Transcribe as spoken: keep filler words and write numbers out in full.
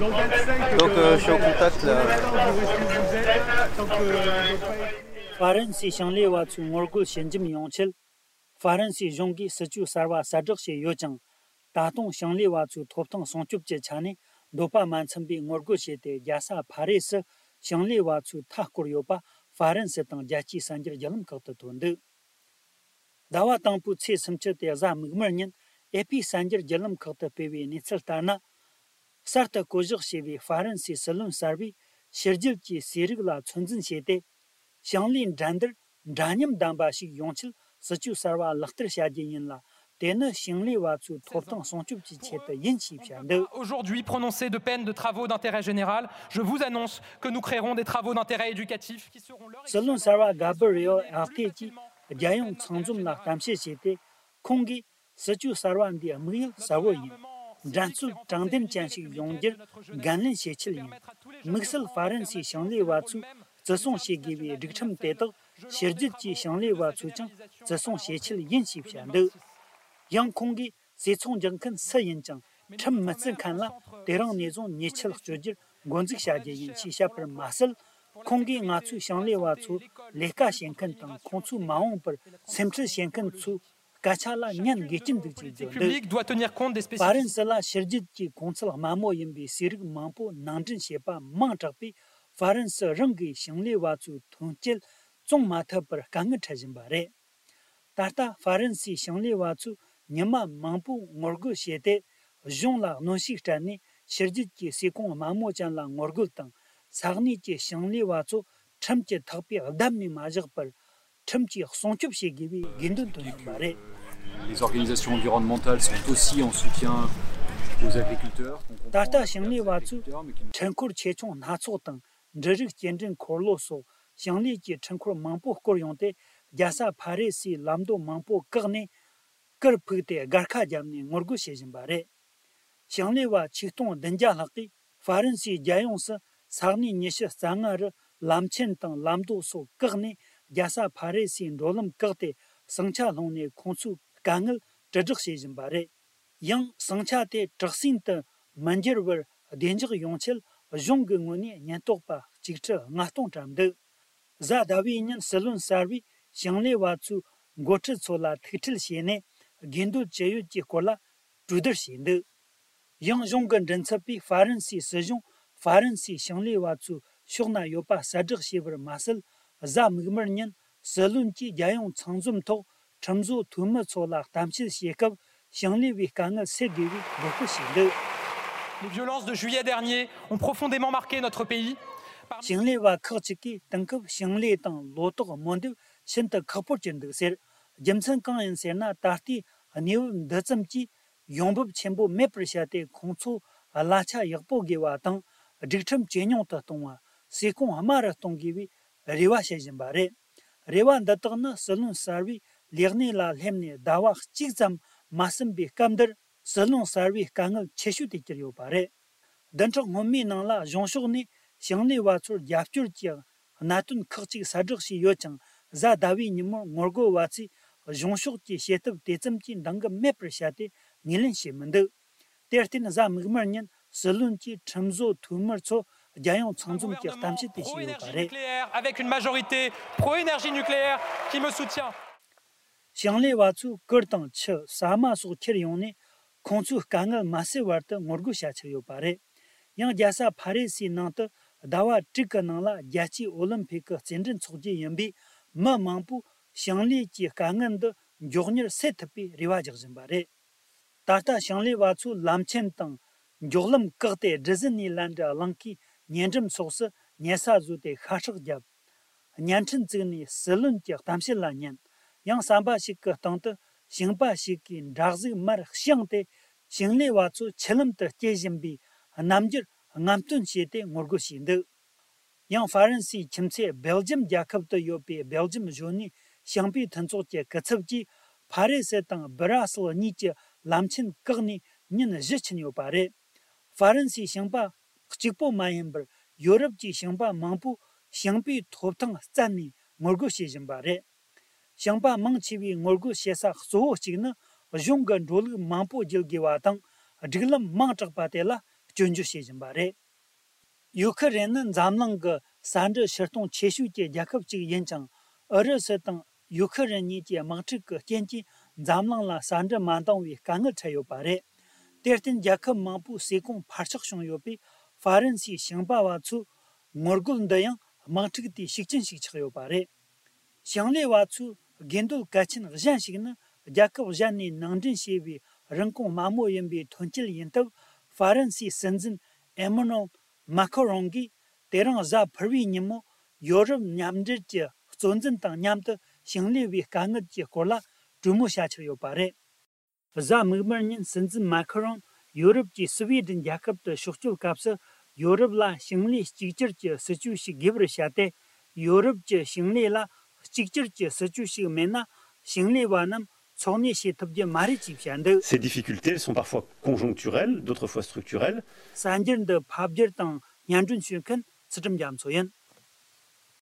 Donc, euh, je suis en contact, là. ཧྥ་རན་སིའི་ཞིང་ལས་པ་ཚོའི་ངོ་རྒོལ་ཞི་འཇམ་ཡོང་ཆེད། ཧྥ་རན་སིའི་གཞུང་གིས་སྲིད་ཇུས་གསར་བ་གསལ་བསྒྲགས་བྱས་ཡོད་ཀྱང་། ད་དུང་ཞིང་ལས་པ་ཚོའི་ཐོབ་ཐང་སྲུང་སྐྱོབ་ཀྱི་ཆ་ནས་འདོད་པ་མ་འཚམ་པའི་ངོ་རྒོལ་བྱས་ཏེ། རྒྱལ་ས་ཕ་རེ་སི་ཞིང་ལས་པ་ཚོའི་མཐའ་བསྐོར་ཡོད་པ་ཧྥ་རན་སི་དང་རྒྱལ་སྤྱིའི་གསར་འགྱུར་བརྒྱུད་ལམ་ཁག་ཏུ་ཐོན་འདུག་ཟླ་བ་དང་པོའི་ཚེས་སུམ་ཅུ་སྟེ་གཟའ་མིག་དམར་ཉིན་ཨེ་ཕི་གསར་འགྱུར་བརྒྱུད་ལམ་ཁག་ཏུ་སྤེལ་བའི་གནས་ཚུལ་ལྟར་ན། གསར་དུ་བསྐོ་གཞག་བྱས་པའི་ཧྥ་རན་སིའི་སྲིད་བློན་གསར་པས་ཕྱི་རྒྱལ་གྱི་ཟས་རིགས་ལ་ཚོད་འཛིན་བྱས་ཏེ། ཞིང་ལས་འགྲན་བསྡུར་འདྲ་མཉམ་ལྡན་པ་ཞིག་ཡོང་ཆེད་སྲིད་ཇུས་གསར་བ་ལག་བསྟར་བྱ་རྒྱུ་ཡིན་ལ། དེ་ནི་ཞིང་ལས་པ་ཚོའི་ཐོབ་ཐང་སྲུང་སྐྱོབ་ཀྱི་ཆེད་དུ་ཡིན་ཞེས་བཤད་འདུག Aujourd'hui prononcer de peine de travaux d'intérêt général, je vous annonce que nous créerons des travaux d'intérêt éducatif qui seront leur སྲིད་བློན་གསར་པ་གྷ་བི་རི་ཨེལ་ཨག་ཏེ་གྱིས་རྒྱལ་ཡོངས་ཚང་འཛོམས་ལ་གཏམ་བཤད་བྱས་ཏེ། ཁོང་གིས། སྲིད་ཇུས་གསར་བ་འདིའི་དམིགས་ཡུལ་གསལ་བོ་ཡིན། འགྲན་རྩོད་དྲང་བདེན་ཅན་ཞིག་ཡོང་རྒྱུར་འགན་ལེན་བྱེད་ཆེད་ཡིན། དམིགས་བསལ་ཧྥ་རན་སིའི་ཞིང་ལས་པ་ཚོས་བརྩི་སྲུང་བྱེད་དགོས་པའི་སྒྲིག་ཁྲིམས་དེ་དག་ཕྱི་རྒྱལ་གྱི་ཞིང་ལས་པ་ཚོས་ཀྱང་བརྩི་སྲུང་བྱེད་ཆེད་ཡིན་ཞེས་བཤད་འདུག་ཡང་ཁོང་གིས་ཟས་ཚོང་རྒྱག་མཁན་སུ་ཡིན་ཀྱང་ཁྲིམས་མི་བརྩི་མཁན་ལ་དེ་རིང་ནས་བཟུང་ཉེས་ཆད་གཅོད་རྒྱུར་འགོ་འཛུགས་བྱ་རྒྱུ་ཡིན་ཞེས་བཤད་པར་མ་ཟད། ཁོང་གིས་ང་ཚོའི་ཞིང་ལས་པ་ཚོར་ལས་ཀ་བྱེད་མཁན་དང་ཁོང་ཚོས་མ་འོངས་པར་སེམས་ཁྲལ་བྱེད་མཁན་ཚོའི་སྐད་ཆ་ལ་ཉན་དགོས་ཀྱི་འདུག་ཅེས་བརྗོད་འདུག Public doit tenir compte des ཧྥ་རན་སི་ལ་ཕྱི་རྒྱལ་གྱི་གོང་ཚད་དམའ་མོ་ཡིན་པའི་ཟས་རིགས་མང་པོ་ནང་འདྲེན་བྱས་པ་མང་དྲགས་པས། ཧྥ་རན་སི་རང་གི་ཞིང་ལས་པ་ཚོའི་ཐོན་སྐྱེད་བཙོང་མ་ཐུབ་པར་དཀའ་ངལ་འཕྲད་བཞིན་པ་རེད། ད་ལྟ་ཧྥ་རན་སིའི་ཞིང་ལས་པ་ཚོས་ཉི་མ་མང་པོ་ངོ་རྒོལ་བྱས་ཏེ། གཞུང་ལ་གནོན་ཤུགས་སྤྲད་ནས་ཕྱི་རྒྱལ་གྱི་ཟས་གོང་དམའ་མོ་ཅན་ལ་ངོ་རྒོལ་དང་། ས་གནས་ཀྱི་ཞིང་ལས་པ་ཚོ་ཁྲིམས་ཀྱི་ཐག་པས་བསྡམས་ནས་མ་བཞག་པར། ཁྲིམས་ཀྱིས་སྲུང་སྐྱོབ་བྱེད་དགོས་པའི་དགོས་འདུན་བཏོན་ཡོད་པ་རེད། Les organisations environnementales sont aussi en soutien aux agriculteurs, qu'on comprend ད་ལྟ་ཞིང་ལས་པ་ཚོས་འཕྲུལ་འཁོར་ཆེ་ཆུང་སྣ་ཚོགས་དང་། འབྲུ་རིགས་སྐྱེལ་འདྲེན་འཁོར་ལོ་སོགས་ཞིང་ལས་ཀྱི་འཕྲུལ་འཁོར་མང་པོ་བསྐོར་ཡོང་སྟེ། རྒྱལ་ས་ཕ་རེ་སིའི་ལམ་མདོ་མང་པོ་བཀག་ནས་གུར་ཕུབ་སྟེ་སྒར་ཁ་བརྒྱབ་ནས་ངོ་རྒོལ་བྱེད་བཞིན་པ་རེད། ཞིང་ལས་པ་ཆིག་སྟོང་བདུན་བརྒྱ་ལྷག་གིས་ཧྥ་རན་སིའི་རྒྱལ་ཡོངས་སུ་ས་གནས་ཉི་ཤུ་རྩ་ལྔ་རུ་ལམ་ཆེན་དང་ལམ་མདོ་སོགས་བཀག་ནས། རྒྱལ་ས་ཕ་རེ་སིའི་འགྲོ་ལམ་བཀག་སྟེ། ཟིང་ཆ་སློང་ནས་ཁོང་ཚོའི་དཀའ་ངལ་དྲིལ་བསྒྲགས་བྱེད་བཞིན་པ་རེད། ཡང་ཟིང་ཆ་དེ་དྲག་ཟིང་དུ་མི་འགྱུར་བར་བདེ་འཇགས་ཡོང་ཆེད་གཞུང་གི་ངོས་ནས་ཉེན་རྟོག་པ་གཅིག་ཁྲི་ལྔ་སྟོང་བཀྲམ་འདུག་གཟའ་ཟླ་བའི་ཉིན་སྲིད་བློན་གསར་པས་ཞིང་ལས་པ་ཚོའི་འགོ་ཁྲིད་ཚོ་ལ་ཐུག་འཕྲད་བྱས་ནས། དགོས་འདོད་ཅི་ཡོད་ཀྱི་སྐོར་ལ་གྲོས་བསྡུར་བྱས་འདུག་ཡང་གཞུང་གི་མགྲིན་ཚབ་པས་ཧྥ་རན་སིའི་སྲིད་གཞུང་ཧྥ་རན་སིའི་ཞིང་ལས་པ་ཚོའི་ཕྱོགས་ན་ཡོད་པ་གསལ་བསྒྲགས་བྱས་པར་མ་ཟད། གཟའ་མིག་དམར་ཉིན་སྲིད་བློན་གྱིས་རྒྱལ་ཡོངས་ཚང་འཛོམས་ཐོག་ཁྲིམས་བཟོ་འཐུས་མི་ཚོ་ལ་གཏམ་བཤད་བྱེད་སྐབས། ཞིང་ལས་པའི་དཀའ་ངལ་སེལ་དགོས་པའི་འབོད་སྐུལ་བྱས་འདུག Les violences de juillet dernier ont profondément marqué notre pays. ཞིང་ལས་པ་ཁག་ཅིག་གིས་དེང་སྐབས་ཞིང་ལས་དང་ལོ་ཏོག་རྨོ་འདེབས་ཤིན་ཏུ་ཁག་པོར་གྱུར་འདུག་ཟེར། རྒྱུ་མཚན་གང་ཡིན་ཟེར་ན། ད་ལྟའི་གནས་བབ་འདི་ཙམ་གྱིས་ཡོང་འབབ་ཆེན་པོ་མེད་པར་བྱས་ཏེ། ཁོང་ཚོ་གླ་ཆ་ཡག་པོ་དགོས་པ་དང་། སྒྲིག་ཁྲིམས་ཇེ་ཉུང་དུ་གཏོང་བ། ཟས་གོང་དམའ་རུ་གཏོང་དགོས་པའི་རེ་བ་བྱེད་བཞིན་པ་རེད། རེ་བ་འདི་དག་ནི་སྲིད་བློན་གསར་པས་ལས་གནས་ལ་སླེབས་ནས་ཟླ་བ་གཅིག་ཙམ་མ་ཟིན་པའི་སྐབས་འདིར། སྲིད་བློན་གསར་པའི་དཀའ་ངལ་ཆེ་ཤོས་དེ་གྱུར་ཡོད་པ་རེད། བདུན་ཕྲག་སྔོན་མའི་ནང་ལ་གཞུང་ཕྱོགས་ནས་ཞིང་ལས་པ་ཚོར་རྒྱབ་སྐྱོར་གྱི་གནད་དོན་ཁག་ཅིག་གསལ་བསྒྲགས་བྱས་ཡོད་ཀྱང་། གཟའ་ཟླ་བའི་ཉིན་མོར་ངོ་རྒོལ་བ་ཚོས་གཞུང་ཕྱོགས་ཀྱི་བྱེད་ཐབས་དེ་ཙམ་གྱིས་འདང་གི་མེད་པར་བྱས་ཏེ་ངོས་ལེན་བྱས་མི་འདུག་དེར་བརྟེན། གཟའ་མིག་དམར་ཉིན་སྲིད་བློན་གྱིས་ཁྲིམས་བཟོ་འཐུས་མི་ཚོ་རྒྱལ་ཡོངས་ཚང་འཛོམས་ཀྱི་གཏམ་བཤད་དེ་བྱས་ཡོད་པ་རེད། Pro-énergie nucléaire, avec une majorité pro-énergie nucléaire qui me soutient. ཞིང་ལས་པ་ཚོས་གུར་དང་ཆུ། ཟ་མ་སོགས་ཁྱེར་ཡོང་ནས། ཁོང་ཚོའི་དཀའ་ངལ་མ་སེལ་བར་དུ་ངོ་རྒོལ་བྱ་འཆར་ཡོད་པ་རེད། ཡང་རྒྱལ་ས་ཕ་རི་སིའི་ནང་དུ་ཟླ་བ་དྲུག་གི་ནང་ལ་རྒྱལ་སྤྱིའི་ཨོ་ལིམ་ཕིག་གི་རྩེད་འགྲན་འཚོགས་རྒྱུ་ཡིན་པས། མི་མང་པོས་ཞིང་ལས་ཀྱི་དཀའ་ངལ་འདི་མགྱོགས་མྱུར་སེལ་ཐུབ་པའི་རེ་བ་རྒྱག་བཞིན་པ་རེད། ད་ལྟ་ཞིང་ལས་པ་ཚོས་ལམ་ཆེན་དང་མགྱོགས་ལམ་བཀག་སྟེ། ཌི་ཟི་ནི་ལན་ཌི་གླིང་གའི་ཉེ་འགྲམ་སོགས་སུ་ཉལ་ས་བཟོས་ཏེ་ཤ་ཁྲག་བརྒྱབ། བརྙན་འཕྲིན་བཙུགས་ནས་སྲིད་བློན་གྱི་གཏམ་བཤད་ལ་ཉན། ཡང་ཟམ་པ་ཞིག་གི་སྟེང་དུ་ཞིང་པ་ཞིག་གིས་འདྲ་གཟུགས་མར་དཔྱངས་ཏེ། ཞིང་ལས་པ་ཚོས་ཆུ་ལམ་དུ་སྐྱེལ་བཞིན་པའི་རྣམ་འགྱུར་རྔམ་སྟོན་བྱས་ཏེ་ངོ་རྒོལ་བྱས་འདུག་ཡང་ཧྥ་རན་སིའི་ཁྱིམ་མཚེས་སྦེལ་ཇམ་རྒྱལ་ཁབ་ཏུ་ཡོད་པའི་སྦེལ་ཇམ་གཞོན་ནུའི་ཞིང་པའི་མཐུན་ཚོགས་ཀྱི་སྐུ་ཚབ་ཀྱིས་ཕ་རི་སི་དང་སྦི་ར་སིལ་གཉིས་ཀྱི་ལམ་ཆེན་བཀག་ནས་ཉིན་བཞི་ཕྱིན་ཡོད་པ་རེད། ཧྥ་རན་སིའི་ཞིང་པ་གཅིག་པོ་མ་ཡིན་པར། ཡོ་རོབ་ཀྱི་ཞིང་པ་མང་པོས་ཞིང་པའི་ཐོབ་ཐང་བཙལ་ནས་ངོ་རྒོལ་བྱེད་བཞིན་པ་རེད། ཞིང་པ་མང་ཆེ་བའི་ངོ་རྒོལ་བྱེད་ས་གཙོ་བོ་གཅིག་ནི། གཞུང་གི་འགྲོ་ལུགས་མང་པོ་བརྒྱུད་དགོས་པ་དང་། སྒྲིག་ལམ་མང་དྲགས་པ་དེ་ལ་ སྐྱོན་བརྗོད་བྱེད་བཞིན་པ་རེད། ཡུ་ཁི་རན་ནི་འཛམ་གླིང་གི་ས་འབྲུ་ཕྱིར་གཏོང་ཆེ་ཤོས་ཀྱི་རྒྱལ་ཁབ་ཅིག་ཡིན་ཅིང་། ཨུ་རུ་སུ་དང་ཡུ་ཁི་རན་གཉིས་ཀྱི་དམག་འཁྲུག་གི་རྐྱེན་གྱིས་འཛམ་གླིང་ལ་ས་འབྲུ་མ་འདང་བའི་དཀའ་ངལ་འཕྲད་ཡོད་པ་རེད། དེར་བརྟེན། རྒྱལ་ཁབ་མང་པོའི་ཟས་གོང་འཕར་ཆག་བྱུང་ཡོད་པས། ཧྥ་རན་སིའི་ཞིང་པ་བ་ཚོའི་ངོ་རྒོལ་འདི་ཡང་དམག་འཁྲུག་དེའི་ཤུགས་རྐྱེན་ཞིག་ཆགས་ཡོད་པ་རེད། ཞིང་ལས་པ་ཚོའི་དགོས་འདོད་གལ་ཆེན་གཞན་ཞིག་ནི། རྒྱལ་ཁབ་གཞན་ནས་ནང་འདྲེན་བྱས་པའི་རིན་གོང་དམའ་མོ་ཡིན་པའི་ཐོན་སྐྱེད་ཡིན་སྟབས། ཧྥ་རན་སིའི་སྲིད་འཛིན་ཨེ་མ་ནུ་ཨེལ་མཱ་ཁ་རོང་གིས་དེ་རིང་གཟའ་ཕུར་བུའི་ཉིན་མོ་ཡོ་རོབ་མཉམ་འབྲེལ་གྱི་གཙོ་འཛིན་དང་མཉམ་དུ་ཞིང་ལས་པའི་དཀའ་ངལ་གྱི་སྐོར་ལ་གྲོས་མོལ་བྱ་འཆར་ཡོད་པ་རེད། གཟའ་མིག་དམར་ཉིན་སྲིད་འཛིན་མཱ་ཁ་རོང་ཡོ་རོབ་ཀྱི་སི་ཝེ་ཌེན་རྒྱལ་ཁབ་ཏུ་ཕྱོགས་བསྐྱོད་སྐབས་སུ། ཡོ་རོབ་ལ་ཞིང་ལས་གཅིག་གྱུར་གྱི་སྲིད་ཇུས་ཤིག་དགོས་པར་བཤད་དེ། ཡོ་རོབ་ཀྱི་ཞིང་ལས་ལ་གཅིག་གྱུར་གྱི་སྲིད་ཇུས་ཤིག་མེད་ན། ཞིང་ལས་པ་རྣམས་འཚོ་གནས་བྱེད་ཐུབ་རྒྱུ་མ་རེད་ཅེས་བཤད་འདུག། Ces difficultés, elles sont parfois conjoncturelles, d'autres fois structurelles. གསར་འགྱུར་འདི་ཕབ་བསྒྱུར་དང་སྙན་སྒྲོན་ཞུ་མཁན་ཚུལ་ཁྲིམས་རྒྱ་མཚོ་ཡིན།